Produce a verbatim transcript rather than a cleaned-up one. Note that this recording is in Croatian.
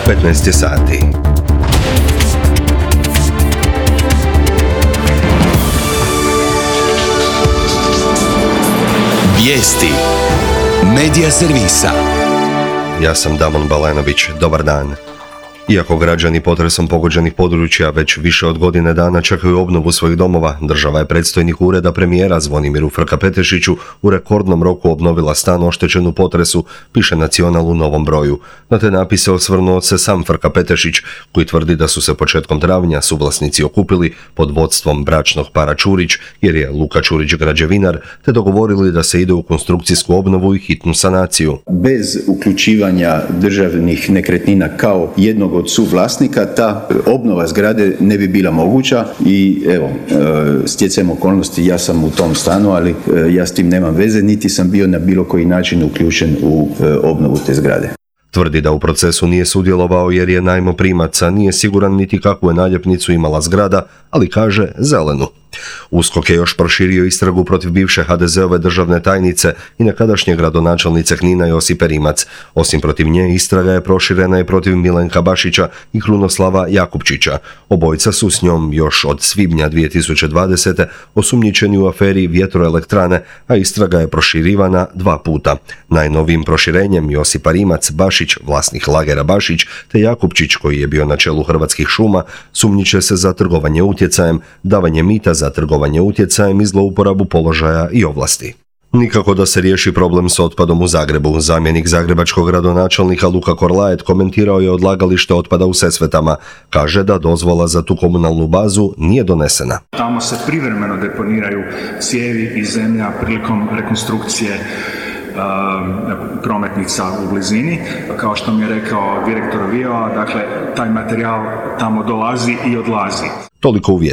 petnaest je sati. Vijesti Medija servisa. Ja sam Damon Balenović, dobar dan. Iako građani potresom pogođenih područja već više od godine dana čekaju obnovu svojih domova, država je predstojnik ureda premijera Zvonimiru Frka-Petešiću u rekordnom roku obnovila stan oštećen u potresu, piše Nacional u novom broju. Na te napise osvrnuo se sam Frka-Petešić, koji tvrdi da su se početkom travnja suvlasnici okupili pod vodstvom bračnog para Čurić, jer je Luka Čurić građevinar, te dogovorili da se ide u konstrukcijsku obnovu i hitnu sanaciju. Bez uključivanja državnih nekretnina kao jednog od suvlasnika, ta obnova zgrade ne bi bila moguća i evo, stjecajem okolnosti ja sam u tom stanu, ali ja s tim nemam veze, niti sam bio na bilo koji način uključen u obnovu te zgrade. Tvrdi da u procesu nije sudjelovao jer je najmoprimac, a nije siguran niti kakvu je naljepnicu imala zgrada, ali kaže zelenu. USKOK je još proširio istragu protiv bivše ha de zeove državne tajnice i nekadašnje gradonačelnice Knina Josipe Rimac. Osim protiv nje, istraga je proširena i protiv Milenka Bašića i Krunoslava Jakupčića. Obojica su s njom još od svibnja dvije tisuće dvadesete osumnjičeni u aferi vjetroelektrane, a istraga je proširivana dva puta. Najnovijim proširenjem Josipa Rimac, Bašić, vlasnik lagera Bašić, te Jakupčić, koji je bio na čelu Hrvatskih šuma, sumnjiče se za trgovanje utjecajem, davanje mita za trgovanje utjecajem i zlouporabu položaja i ovlasti. Nikako da se riješi problem s otpadom u Zagrebu. Zamjenik zagrebačkog gradonačelnika Luka Korlaet komentirao je odlagalište otpada u Sesvetama. Kaže da dozvola za tu komunalnu bazu nije donesena. Tamo se privremeno deponiraju cijevi i zemlja prilikom rekonstrukcije prometnica u blizini. Kao što mi je rekao direktor Viova, dakle, taj materijal tamo dolazi i odlazi. Toliko u vijesti.